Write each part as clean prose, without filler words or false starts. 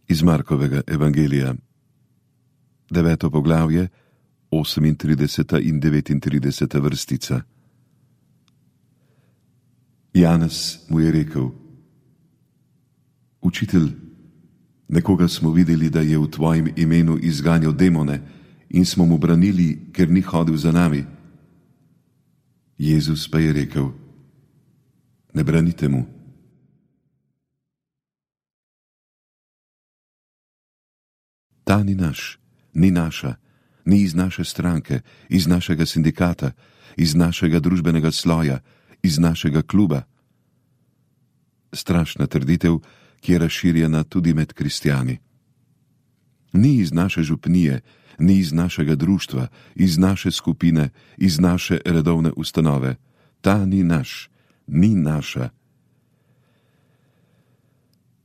Iz Markovega evangelija, 9. poglavje, 38. in 39. vrstica. Janez mu je rekel: Učitelj, nekoga smo videli, da je v tvojem imenu izganjal demone, in smo mu branili, ker ni hodil za nami. Jezus pa je rekel: Ne branite mu. Ta ni naš, ni naša, ni iz naše stranke, iz našega sindikata, iz našega družbenega sloja, iz našega kluba. Strašna trditev, ki je razširjena tudi med kristjani. Ni iz naše župnije, ni iz našega društva, iz naše skupine, iz naše redovne ustanove. Ta ni naš, ni naša.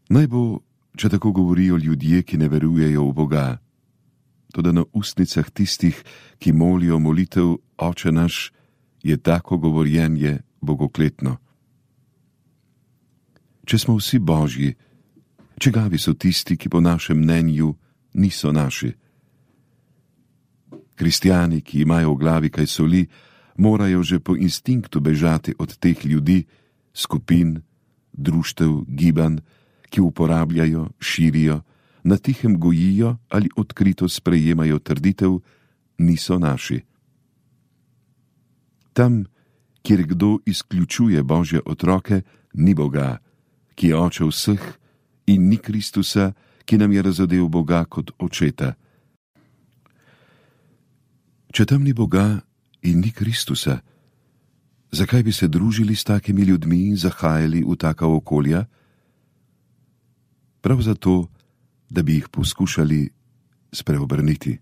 Naj bo, če tako govorijo ljudje, ki ne verujejo v Boga, toda na ustnicah tistih, ki molijo molitev Oče naš, je tako govorjenje bogokletno. Če smo vsi Božji, čigavi so tisti, ki po našem mnenju niso naši? Kristjani, ki imajo v glavi kaj soli, morajo že po instinktu bežati od teh ljudi, skupin, društev, gibanj, ki uporabljajo, širijo, na tihem gojijo ali odkrito sprejemajo trditev: niso naši. Tam, kjer kdo izključuje Božje otroke, ni Boga, ki je oče vseh, in ni Kristusa, ki nam je razodel Boga kot očeta. Če tam ni Boga in ni Kristusa, zakaj bi se družili s takimi ljudmi in zahajali v taka okolja? Prav zato, da bi jih poskušali spreobrniti.